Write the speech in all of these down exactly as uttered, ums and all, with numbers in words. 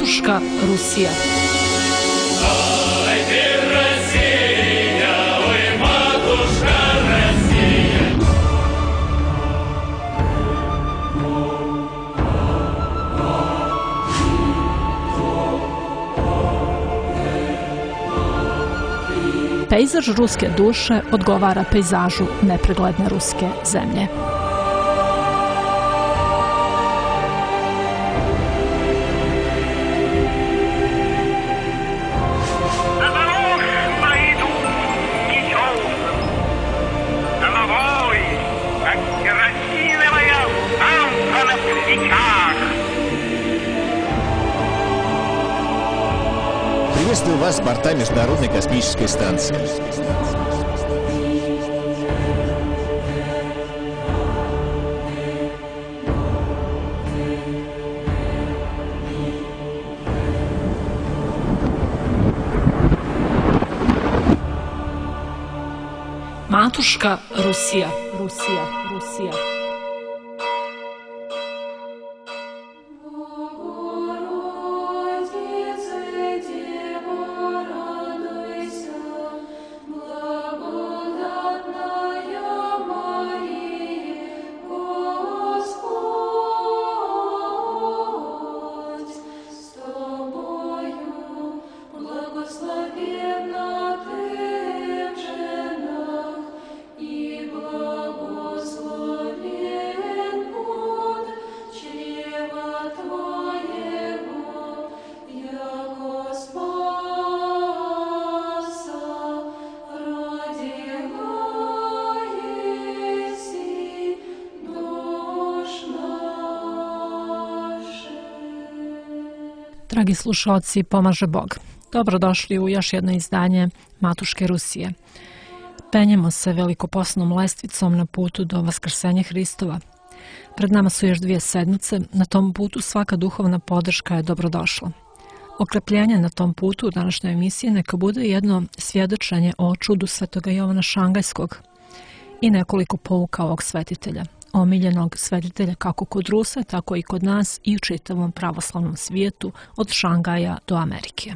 Matuška Rusija. Pejzaž ruske duše odgovara pejzažu nepregledne ruske zemlje. Приветствую вас с борта Международной космической станции. Matuška Rusija, Rusija, Rusija. Dragi slušalci, pomaže Bog. Dobrodošli u još jedno izdanje Matuške Rusije. Penjemo se velikoposnom lestvicom na putu do Vaskrsenja Hristova. Pred nama su još dvije sedmice, na tom putu svaka duhovna podrška je dobrodošla. Okrepljenje na tom putu u današnjoj emisiji neka bude jedno svjedočenje o čudu svetoga Jovana Šangajskog i nekoliko pouka ovog svetitelja, omiljenog svetitelja kako kod Rusa, tako i kod nas i u čitavom pravoslavnom svijetu od Šangaja do Amerike.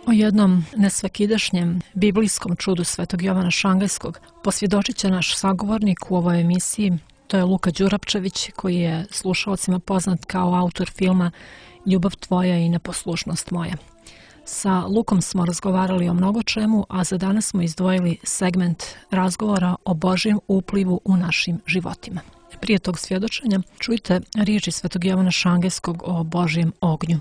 O jednom nesvakidašnjem biblijskom čudu svetog Jovana Šangajskog posvjedočit će naš sagovornik u ovoj emisiji. To je Luka Đurapčević, koji je slušalcima poznat kao autor filma Ljubav tvoja i neposlušnost moja. Sa Lukom smo razgovarali o mnogo čemu, a za danas smo izdvojili segment razgovora o Božjem uplivu u našim životima. Prije tog svjedočenja čujte riječi svetog Jovana Šangajskog o Božjem ognju.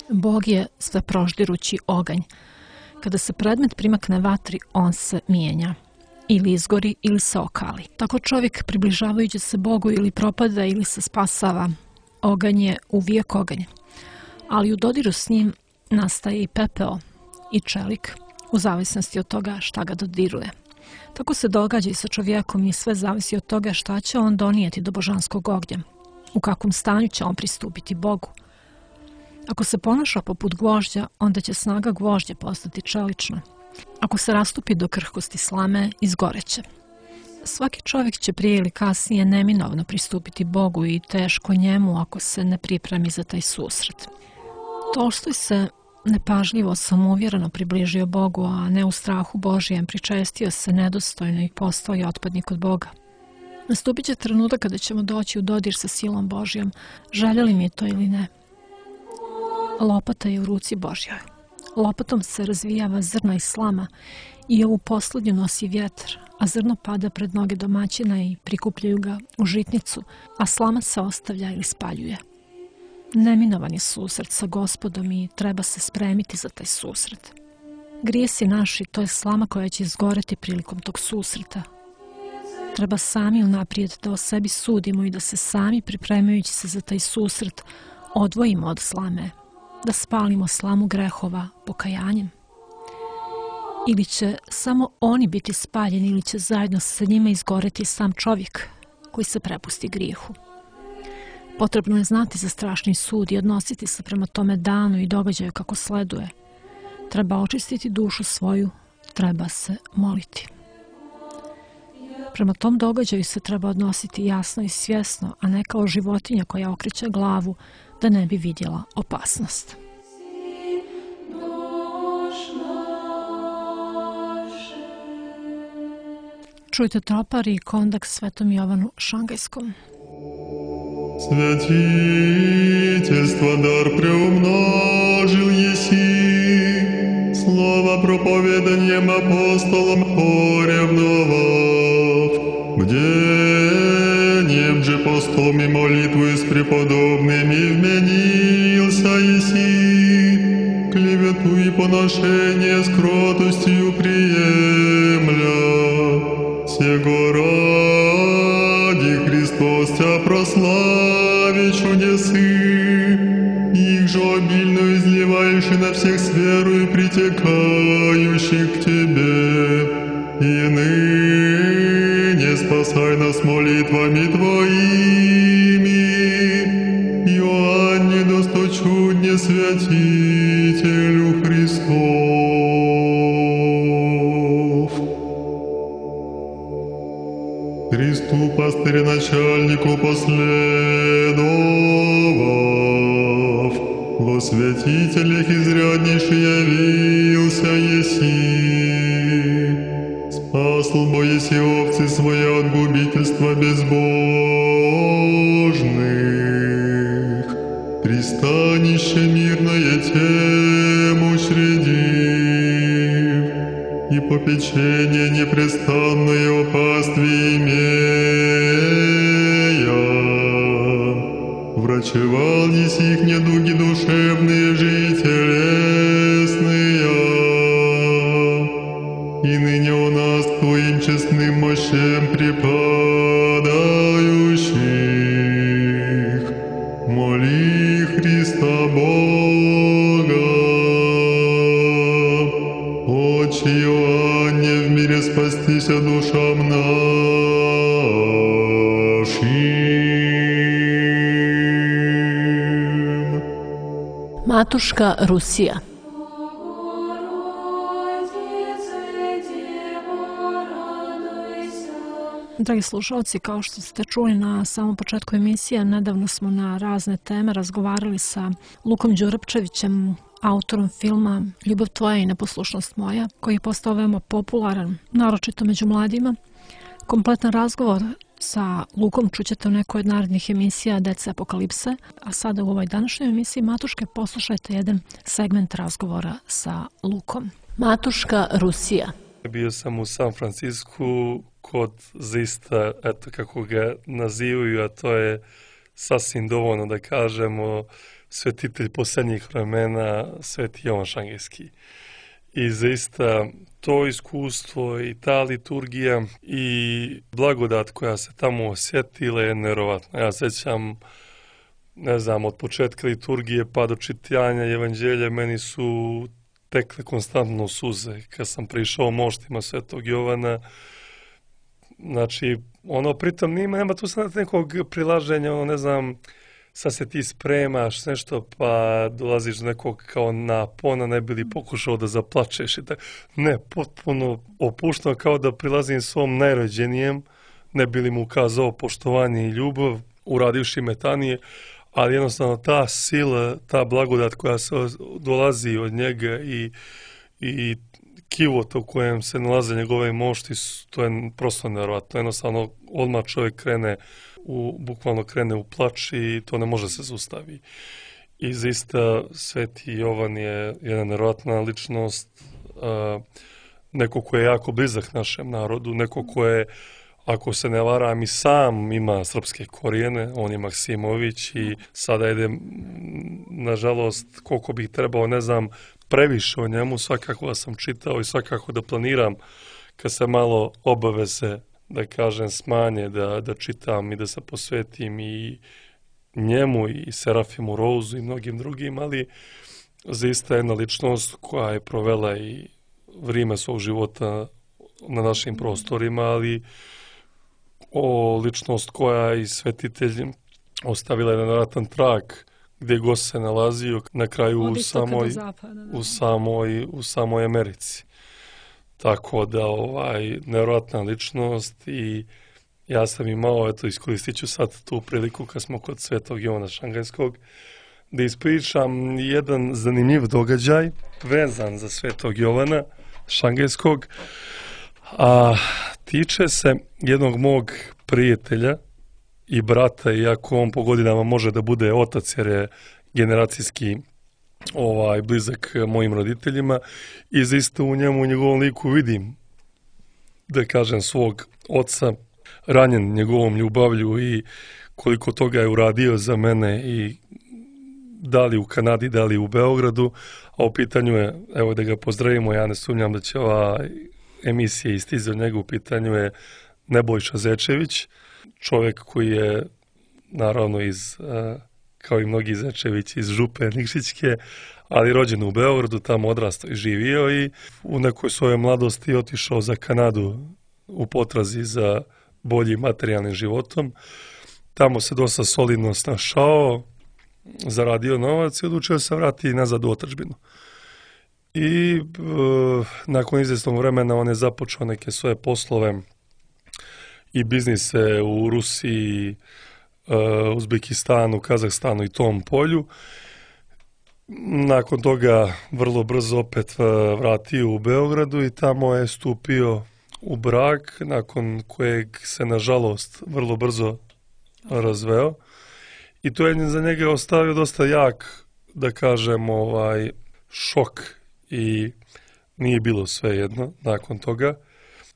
Bog je sveproždirući oganj. Kada se predmet primakne vatri, on se mijenja. Ili izgori ili se okali. Tako čovjek, približavajući se Bogu, ili propada ili se spasava. Oganj je uvijek oganj. Ali u dodiru s njim nastaje i pepeo i čelik, u zavisnosti od toga šta ga dodiruje. Tako se događa i sa čovjekom i sve zavisi od toga šta će on donijeti do božanskog ognja. U kakvom stanju će on pristupiti Bogu. Ako se ponaša poput gvožđa, onda će snaga gvožđa postati čelična. Ako se rastupi do krhkosti slame, izgoreće. Svaki čovjek će prije ili kasnije neminovno pristupiti Bogu i teško njemu ako se ne pripremi za taj susret. Tolstoj se nepažljivo, samouvjereno približio Bogu, a ne u strahu Božijem, pričestio se nedostojno i postao je otpadnik od Boga. Nastupit će trenutak kada ćemo doći u dodir sa silom Božjom, željeli mi to ili ne. Lopata je u ruci Božjoj. Lopatom se razvijava zrno i slama i ovu posljednju nosi vjetar, a zrno pada pred noge domaćina i prikupljaju ga u žitnicu, a slama se ostavlja ili spaljuje. Neminovan je susret sa Gospodom i treba se spremiti za taj susret. Grijesi naši, to je slama koja će izgoreti prilikom tog susreta. Treba sami unaprijed da o sebi sudimo i da se sami, pripremajući se za taj susret, odvojimo od slame, da spalimo slamu grehova pokajanjem. Ili će samo oni biti spaljeni, ili će zajedno sa njima izgoreti sam čovjek koji se prepusti grijehu. Potrebno je znati za strašni sud i odnositi se prema tome danu i događaju kako sleduje. Treba očistiti dušu svoju, treba se moliti. Prema tom događaju se treba odnositi jasno i svjesno, a ne kao životinja koja okreće glavu da ne bi vidjela opasnost. Čujte tropari i kondak Svetom Jovanu Šangajskom. Святительство дар преумножил еси, слово проповеданием апостолом поревновав, бдением же постом и молитвою с преподобными вменился еси, клевету и поношение с кротостью приемля, сего ради Христос Тя прослави чудесы, их же обильно изливаешь и на всех с верою притекающих к Тебе, и ныне спасай нас молитвами Твоими, Иоанне досточудне святителю Христов. Христу пастыря-начальнику последовав, во святителях изряднейший явился еси. Спасл бо еси овцы свои от губительства безбожных, пристанище мирное тем учредив, и попечение непрестанное о пастве имея, врачевал еси их недуги душевные же и телесные, и ныне у нас Твоим честным мощем припадающих, моли Христа Бога, Отче Иоанне в мире спастися душам нашим. Matuška Rusija. Dragi slušalci, kao što ste čuli na samom početku emisije, nedavno smo na razne teme razgovarali sa Lukom Đurapčevićem, autorom filma Ljubav tvoja i neposlušnost moja, koji je postao veoma popularan, naročito među mladima. Kompletan razgovor sa Lukom čućete u nekoj od narednih emisija Deca Apokalipse, a sada u ovoj današnjoj emisiji Matuške poslušajte jedan segment razgovora sa Lukom. Matuška Rusija. Bio sam u San Francisku kod zaista, eto kako ga nazivaju, a to je sasvim dovoljno da kažemo svetitelj posljednjih vremena, Sveti Jovan Šangajski. I zaista to iskustvo i ta liturgija i blagodat koja se tamo osjetila je nevjerovatna. Ja sećam, ne znam, od početka liturgije pa do čitanja evanđelja meni su tekle konstantno suze. Kad sam prišao moštima Svetog Jovana, znači, ono, pritom nima, nema tu sad nekog prilaženja, ono, ne znam, sad se ti spremaš nešto pa dolaziš do nekog kao napona, ne bi li pokušao da zaplačeš i tako. Ne, potpuno opušteno, kao da prilazim svom najrođenijem, ne bi li mu ukazao poštovanje i ljubav, uradivši metanije, ali jednostavno ta sila, ta blagodat koja se dolazi od njega i, i kivot u kojem se nalaze njegove mošti, to je prosto nevjerovatno. Jednostavno, odmah čovjek krene u, bukvalno krene u plač i to ne može se zaustavi. I zaista Sveti Jovan je jedna nevjerovatna ličnost, uh, neko ko je jako blizak našem narodu, neko ko je, ako se ne varam, i sam ima srpske korijene, on je Maksimović i sada ide, nažalost, koliko bih trebao, ne znam, previše o njemu, svakako da sam čitao i svakako da planiram kad se malo obaveze, da kažem, smanje, da, da čitam i da se posvetim i njemu i Serafimu Rouzu i mnogim drugim, ali zaista jedna ličnost koja je provela i vrijeme svog života na našim prostorima, ali o ličnost koja je i svetitelj ostavila jedan nevjerojatan trag gdje god se nalazio, na kraju u samoj, u, samoj, u samoj Americi. Tako da, ovaj, nevjerojatna ličnost i ja sam imao, eto, iskoristit ću sad tu priliku kad smo kod Svetog Jovana Šangajskog, da ispričam jedan zanimljiv događaj vezan za Svetog Jovana Šangajskog, a tiče se jednog mog prijatelja i brata, iako on po godinama može da bude otac jer je generacijski ovaj, blizak mojim roditeljima i zaista u njemu, u njegovom liku vidim, da kažem, svog oca, ranjen njegovom ljubavlju i koliko toga je uradio za mene i da li u Kanadi, da li u Beogradu, a u pitanju je, evo da ga pozdravimo, ja ne sumnjam da će ova emisija istići od njega, u pitanju je Nebojša Zečević, čovjek koji je naravno iz, kao i mnogi Zečević, iz Župe Nikšićke, ali rođen u Beogradu, tamo odrastao i živio i u nekoj svojoj mladosti otišao za Kanadu u potrazi za boljim materijalnim životom. Tamo se dosta solidno snašao, zaradio novac i odlučio se vratiti nazad u otadžbinu. I e, nakon izvjesnog vremena on je započeo neke svoje poslove i biznise u Rusiji, e, Uzbekistanu, Kazahstanu i tom polju. Nakon toga vrlo brzo opet vratio u Beogradu i tamo je stupio u brak, nakon kojeg se nažalost vrlo brzo razveo. I to je za njega ostavio dosta jak, da kažem, ovaj, šok i nije bilo sve jedno nakon toga.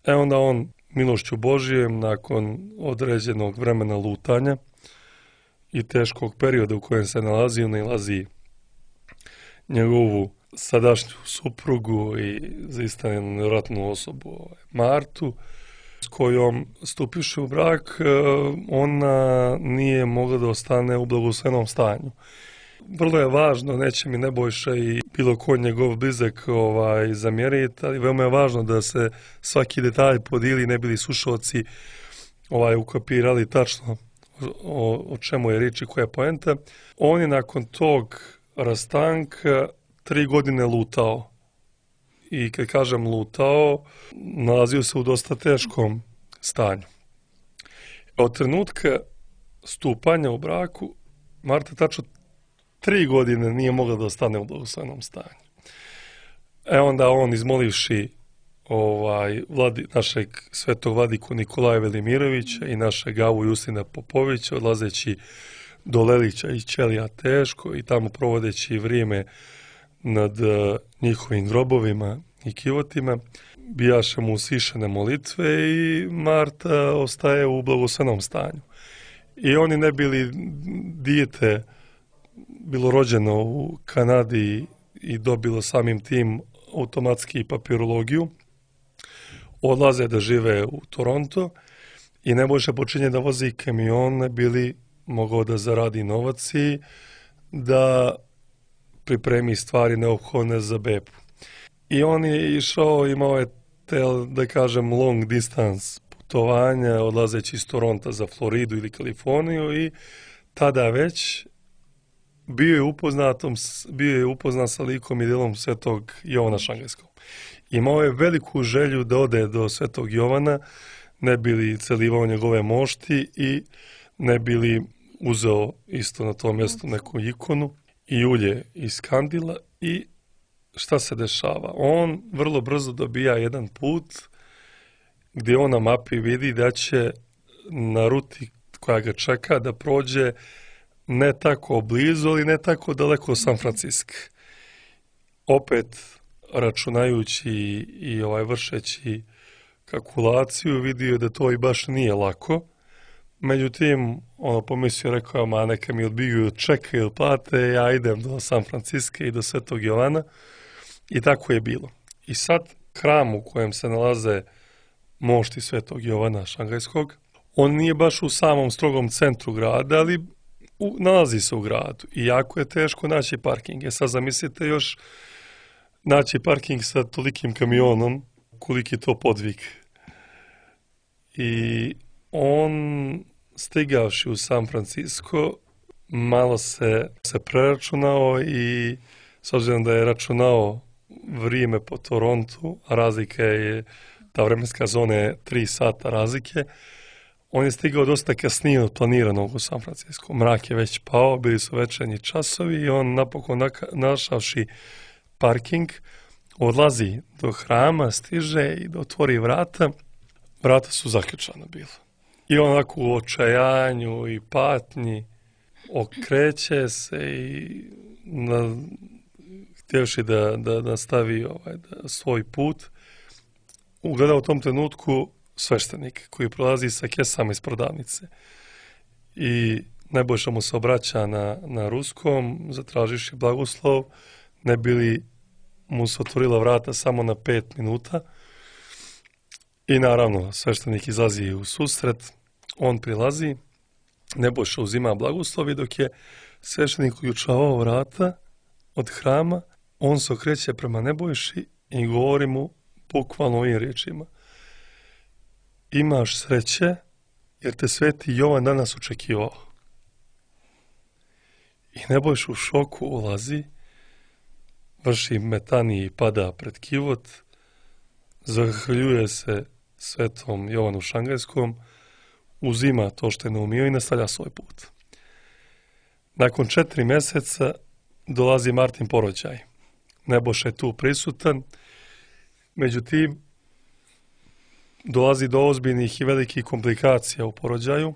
E onda on milošću Božijem, nakon određenog vremena lutanja i teškog perioda u kojem se nalazi, nalazi njegovu sadašnju suprugu i zaista jednu nevjerojatnu osobu, Martu, s kojom stupiše u brak, ona nije mogla da ostane u blagoslovnom stanju. Vrlo je važno, neće mi Nebojša i bilo ko njegov blizak ovaj, zamjeriti, ali veoma je važno da se svaki detalj podijeli, ne bili slušalci ovaj, ukapirali tačno o, o čemu je riječ i koja je poenta. On je nakon tog rastanka tri godine lutao. I kad kažem lutao, nalazio se u dosta teškom stanju. Od trenutka stupanja u braku, Marta tačno tri godine nije mogla da ostane u blagoslovnom stanju. E onda on, izmolivši ovaj, vladi, našeg svetog vladiku Nikolaja Velimirovića i našeg Avu Justina Popovića, odlazeći do Lelića i Ćelija teško i tamo provodeći vrijeme nad uh, njihovim grobovima i kivotima, bijaše mu usišene molitve i Marta ostaje u blagoslovnom stanju. I oni ne bili dijete bilo rođeno u Kanadi i dobilo samim tim automatski papirologiju, odlaze da žive u Toronto i Nebojša počinje da vozi kamion, ne bili mogao da zaradi novac i da pripremi stvari neophodne za bebu. I on je išao, imao je te, da kažem, long distance putovanja, odlazeći iz Toronta za Floridu ili Kaliforniju i tada već bio je upoznatom, bio je upoznat sa likom i djelom Svetog Jovana Šangajskog. Imao je veliku želju da ode do Svetog Jovana, ne bi li celivao njegove mošti i ne bi li uzeo isto na tom mjestu neku ikonu i ulje iz kandila. I šta se dešava? On vrlo brzo dobija jedan put gdje on na mapi vidi da će na ruti koja ga čeka da prođe ne tako blizu, ali ne tako daleko od San Franciska. Opet računajući i ovaj vršeći kalkulaciju, vidio da to i baš nije lako. Međutim, ono pomislio, rekao, ma neka mi odbiju čeka ili plate, ja idem do San Franciska i do Svetog Jovana. I tako je bilo. I sad hram u kojem se nalaze mošti Svetog Jovana Šangajskog, on nije baš u samom strogom centru grada, ali u, nalazi se u gradu. I jako je teško naći parking. E sad zamislite još naći parking sa tolikim kamionom, koliki to podvig. I on, stigavši u San Francisco, malo se, se preračunao i s obzirom da je računao vrijeme po Torontu, a razlika je, ta vremenska zona je tri sata razlike. On je stigao dosta kasnije od planiranog u San Francisco. Mrak je već pao, bili su večernji časovi i on napokon našavši parking, odlazi do hrama, stiže i da otvori vrata. Vrata su zaključana bila. I on onako u očajanju i patnji okreće se i na, htjevši da, da, da stavi ovaj, da, svoj put, ugleda u tom trenutku sveštenik koji prolazi sa kesama iz prodavnice. I Nebojša mu se obraća na, na ruskom, zatražiši blagoslov, ne bi li mu se otvorila vrata samo na pet minuta. I naravno, sveštenik izlazi u susret, on prilazi, Nebojša uzima blagoslovi, dok je sveštenik uključavao vrata od hrama, on se okreće prema Nebojši i govori mu bukvalno ovim riječima: imaš sreće jer te sveti Jovan danas očekivao. I Nebojša u šoku ulazi, vrši metaniji i pada pred kivot, zahvaljuje se svetom Jovanu Šangajskom, uzima to što je naumio i nastavlja svoj put. Nakon četiri mjeseca dolazi Martin porođaj. Nebojša je tu prisutan, međutim dolazi do ozbiljnih i velikih komplikacija u porođaju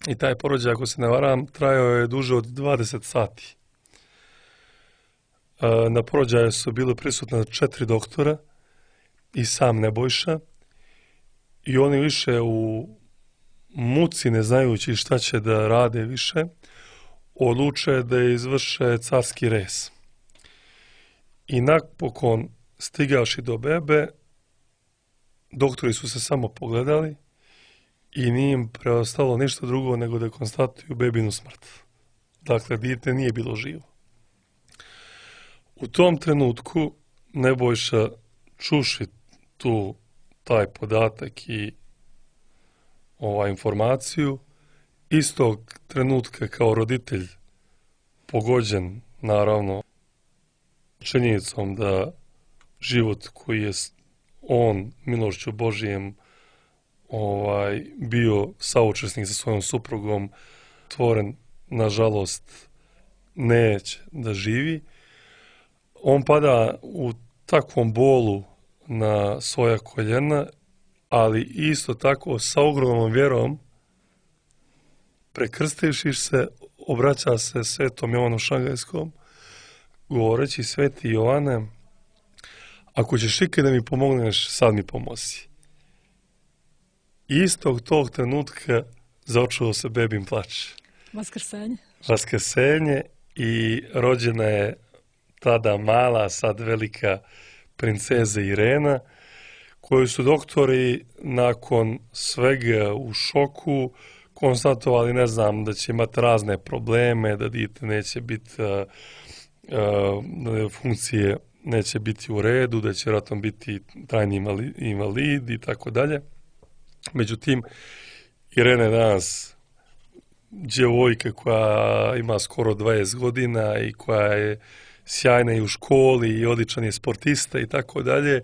i taj porođaj, ako se ne varam, trajao je duže od dvadeset sati. Na porođaju su bili prisutna četiri doktora i sam Nebojša i oni više u muci, ne znajući šta će da rade više, odluče da izvrše carski rez. I napokon, stigavši do bebe, doktori su se samo pogledali i nije im preostalo ništa drugo nego da konstatuju bebinu smrt. Dakle, dijete nije bilo živo. U tom trenutku Nebojša, čuši tu taj podatak i ovaj informaciju, istog trenutka kao roditelj pogođen, naravno, činjenicom da život koji je on milošću Božijem ovaj, bio saučesnik sa svojom suprugom, tvoren, nažalost, neće da živi. On pada u takvom bolu na svoja koljena, ali isto tako sa ogromnom vjerom, prekrstivši se, obraća se svetom Jovanu Šangajskom, govoreći: sveti Jovane, ako ćeš ikad da mi pomogneš, sad mi pomozi. Istog tog trenutka začuo se bebin plač. Vaskrsenje. Vaskrsenje i rođena je tada mala, sad velika princeza Irena, koju su doktori nakon svega u šoku konstatovali, ne znam, da će imati razne probleme, da dijete neće biti, da funkcije neće biti u redu, da će vjerojatno biti trajni invalid i tako dalje. Međutim, Irena je danas djevojka koja ima skoro dvadeset godina i koja je sjajna i u školi i odličan je sportista i tako dalje.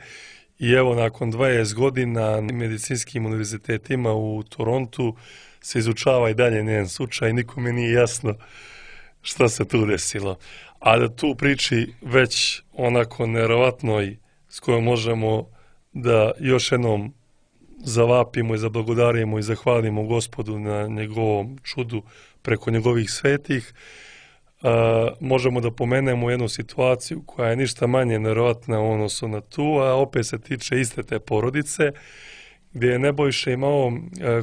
I evo, nakon dvadeset godina na medicinskim univerzitetima u Torontu se izučava i dalje njen slučaj, nikome nije jasno šta se tu desilo. A da tu priči već onako nevjerovatnoj s kojom možemo da još jednom zavapimo i zablagodarimo i zahvalimo Gospodu na njegovom čudu preko njegovih svetih, Uh, možemo da pomenemo jednu situaciju koja je ništa manje nevjerovatna u odnosu na tu, a opet se tiče iste te porodice, gdje je Nebojša imao uh,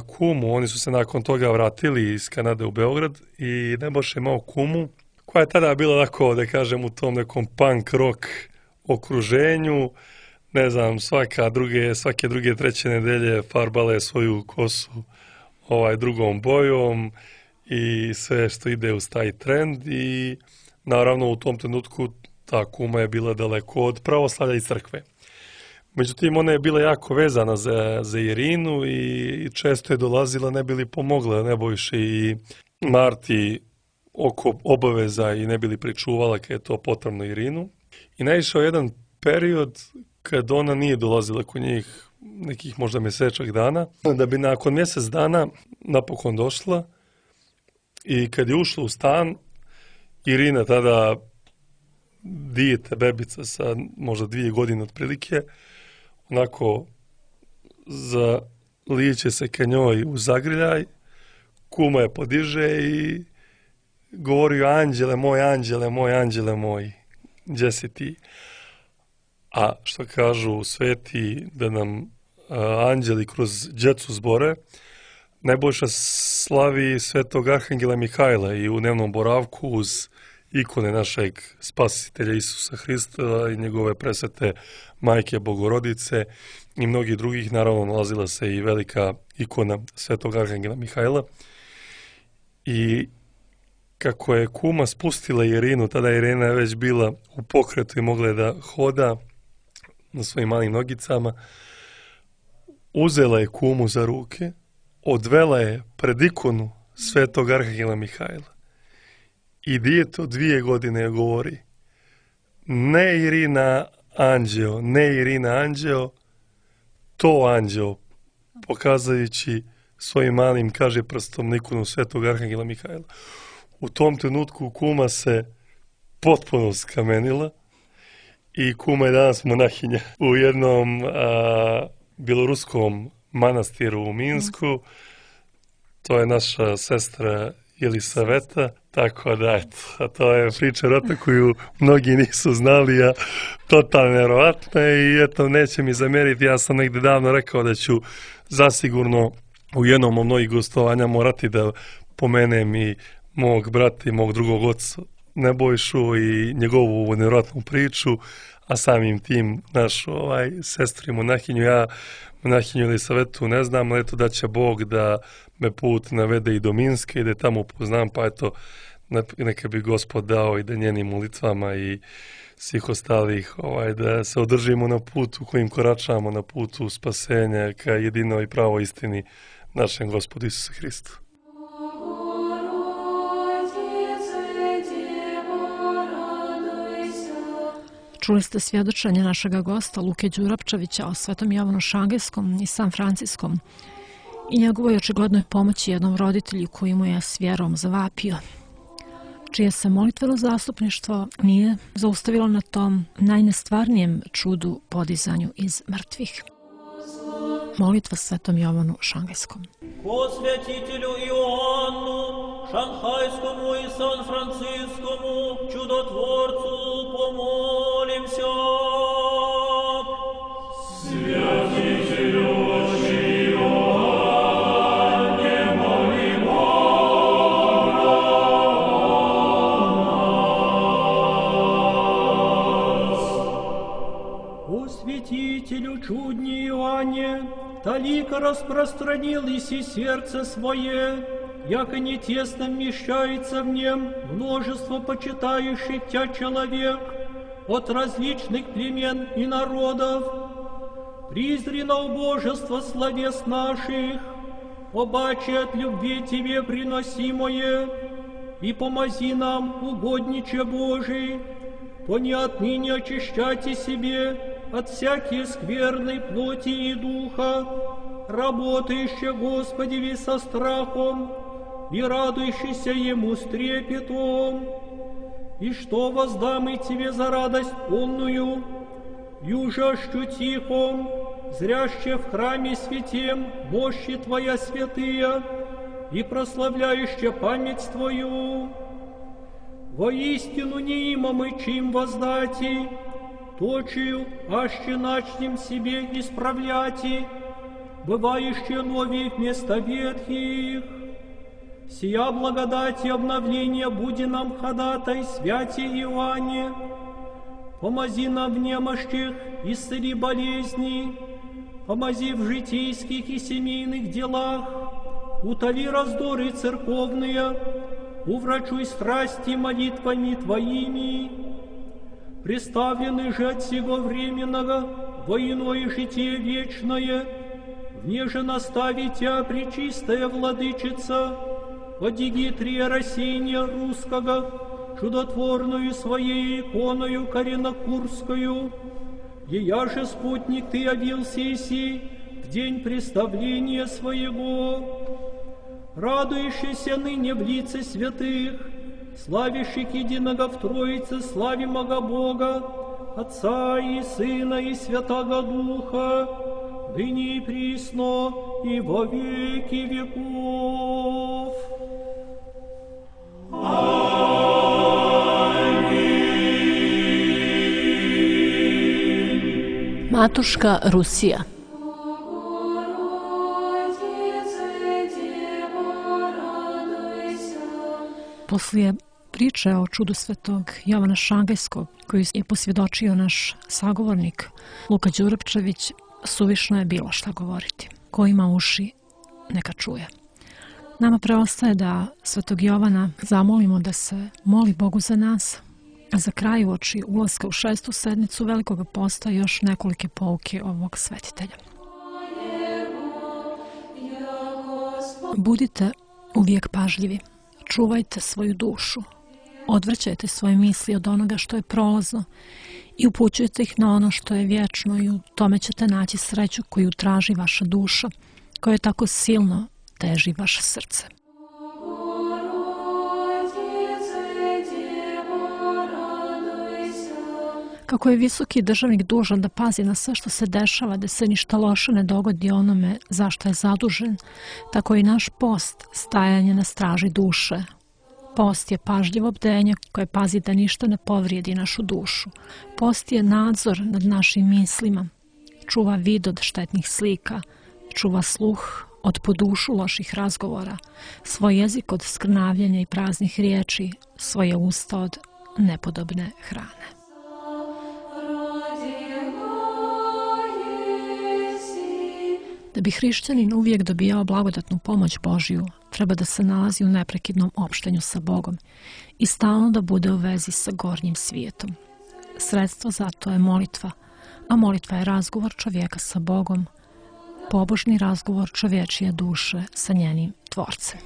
kumu. Oni su se nakon toga vratili iz Kanade u Beograd i Nebojša imao kumu koja je tada bila onako, da kažem, u tom nekom punk rock okruženju. Ne znam, svaka druge, svake druge treće nedelje farbala je svoju kosu ovaj, drugom bojom i sve što ide uz taj trend i naravno u tom trenutku ta kuma je bila daleko od pravoslavlja i crkve. Međutim, ona je bila jako vezana za, za Irinu i često je dolazila ne bi li pomogla Nebojši i Marti oko obaveza i ne bi li pričuvala kad je to potrebno Irinu. I naišao jedan period kad ona nije dolazila kod njih nekih možda mjesečak dana, da bi nakon mjesec dana napokon došla i kad je ušla u stan, Irina tada dijete, bebica sa možda dvije godine otprilike, onako zalijeće se ka njoj u zagrljaj, kuma je podiže i govori: anđele moj, anđele moj, anđele moj, gdje si ti? A što kažu sveti da nam a, anđeli kroz djecu zbore, Nebojša slavi svetog arhangela Mihajla i u dnevnom boravku uz ikone našeg spasitelja Isusa Hrista i njegove presvete majke Bogorodice i mnogih drugih, naravno nalazila se i velika ikona svetog arhangela Mihajla. I kako je kuma spustila Irinu, tada Irina je već bila u pokretu i mogla je da hoda na svojim malim nogicama, uzela je kumu za ruke, odvela je pred ikonu svetog arhangela Mihajla. I dijete od dvije godine govori: ne Irina anđeo, ne Irina anđeo, to anđeo, pokazujući svojim malim, kaže prstom, na ikonu svetog arhangela Mihajla. U tom trenutku kuma se potpuno skamenila i kuma je danas monahinja u jednom a, bjeloruskom manastiru u Minsku. To je naša sestra Jelisaveta, tako da eto, a to je priča rata koju mnogi nisu znali, a totalno nevjerovatna i eto, neće mi zamjeriti, ja sam negdje davno rekao da ću zasigurno u jednom od mnogih gostovanja morati da pomenem i mog brata i mog drugog oca Nebojšu i njegovu nevjerojatnu priču, a samim tim našu ovaj, sestru i monahinju. Ja monahinju Jelisavetu ne znam, ali eto da će Bog da me put navede i do Minske i da tamo upoznam, pa eto neka bi Gospod dao i da njenim molitvama i svih ostalih ovaj, da se održimo na putu kojim koračamo, na putu spasenja ka jedinoj i pravoj istini našem Gospodu Isusu Hristu. Čuli ste svjedočenje našega gosta Luke Đurapčevića o Svetom Jovanu Šangajskom i San Franciskom i njegovoj očiglednoj pomoći jednom roditelju koji mu je s vjerom zavapio, čije se molitveno zastupništvo nije zaustavilo na tom najnestvarnijem čudu podizanju iz mrtvih. Molitva Svetom Jovanu Šangajskom. Ko svjetitelju Ioannu Šanghajskomu i San Franciskomu čudotvorcu pomolimся. Svjetitelju Ioanne molimo nas. O святителю чудни Иоанне, талика распространил иси сердце свое, яко не тесно вмещается в нем множество почитающих Тя человек от различных племен и народов. Призри на убожество словес наших, обаче от любви Тебе приносимое, и помози нам, угодниче Божий, по не отныне очищайте себе от всякой скверной плоти и духа, работающие Господеви со страхом и радующийся Ему с трепетом. И что воздам и Тебе за радость полную, южащу тихом, зряще в храме святем мощи Твоя святые и прославляюще память Твою. Воистину не има мы чим воздати, точию, аще начнем себе исправляти, бывающие новые вместо ветхих. Сия благодать и обновление буди нам ходатай, святи Иоанне. Помози нам в немощах, исцели болезни, помози в житейских и семейных делах, утоли раздоры церковные, уврачуй страсти молитвами Твоими. Представлены же от сего временного во иное житие вечное, внеже настави Тя, пречистая Владычица, от Дигитрия Рассеяния Русского, чудотворную Своей иконою Коренокурскую, ея же спутник ты явился иси в день представления своего, радующийся ныне в лице святых, славящих единого в Троице, славимого Бога, Отца и Сына и Святаго Духа, ныне и присно и во веки веков. Matuška Rusija. Poslije priče o čudu svetog Jovana Šangajskog, koju je posvjedočio naš sagovornik Luka Đurapčević, suvišno je bilo šta govoriti. Ko ima uši, neka čuje. Nama preostaje da svetog Jovana zamolimo da se moli Bogu za nas, a za kraj uoči ulaska u šestu sedmicu Velikog posta još nekolike pouke ovog svetitelja. Budite uvijek pažljivi, čuvajte svoju dušu, odvraćajte svoje misli od onoga što je prolazno i upućujte ih na ono što je vječno i u tome ćete naći sreću koju traži vaša duša, koja tako silno teži vaše srce. Kako je visoki državnik dužan da pazi na sve što se dešava, da se ništa loše ne dogodi onome zašto je zadužen, tako i naš post stajanje na straži duše. Post je pažljivo bdenje koje pazi da ništa ne povrijedi našu dušu. Post je nadzor nad našim mislima, čuva vid od štetnih slika, čuva sluh od po dušu loših razgovora, svoj jezik od skrnavljenja i praznih riječi, svoje usta od nepodobne hrane. Da bi hrišćanin uvijek dobijao blagodatnu pomoć Božju, treba da se nalazi u neprekidnom opštenju sa Bogom i stalno da bude u vezi sa gornjim svijetom. Sredstvo za to je molitva, a molitva je razgovor čovjeka sa Bogom, pobožni razgovor čovječije duše sa njenim Tvorcem.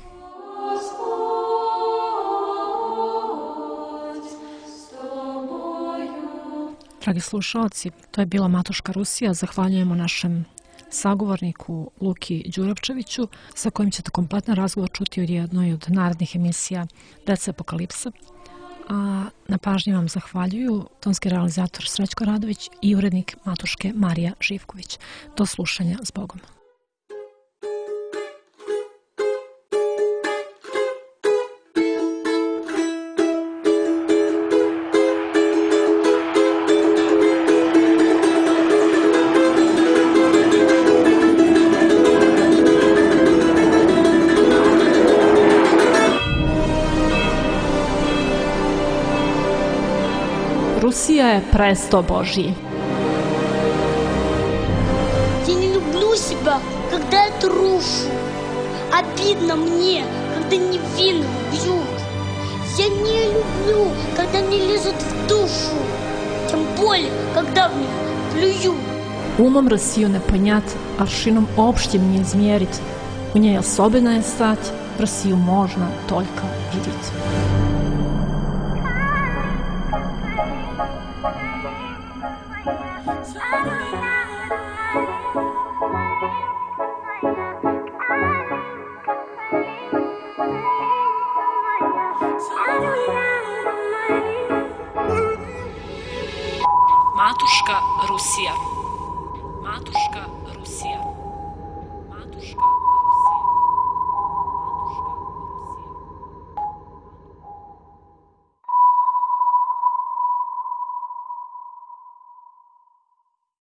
Dragi slušalci, to je bila Matuška Rusija. Zahvaljujemo našem sagovorniku Luki Đurapčeviću, sa kojim ćete kompletan razgovor čuti u jednoj od narednih emisija Deca Apokalipsa. A na pažnji vam zahvaljuju tonski realizator Srećko Radović i urednik Matuške Marija Živković. Do slušanja, s Bogom. Rusija je presto Božji. Я не люблю себя, когда я трушу. Обидно мне, когда невинных бьют. Я не люблю, когда мне лезут в душу. Тем более, когда в них плюют. Умом Россию не понять, аршином общим не измерить. У ней особенная стать, Россию можно только видеть. Matuška Rusija. Matuška Rusija.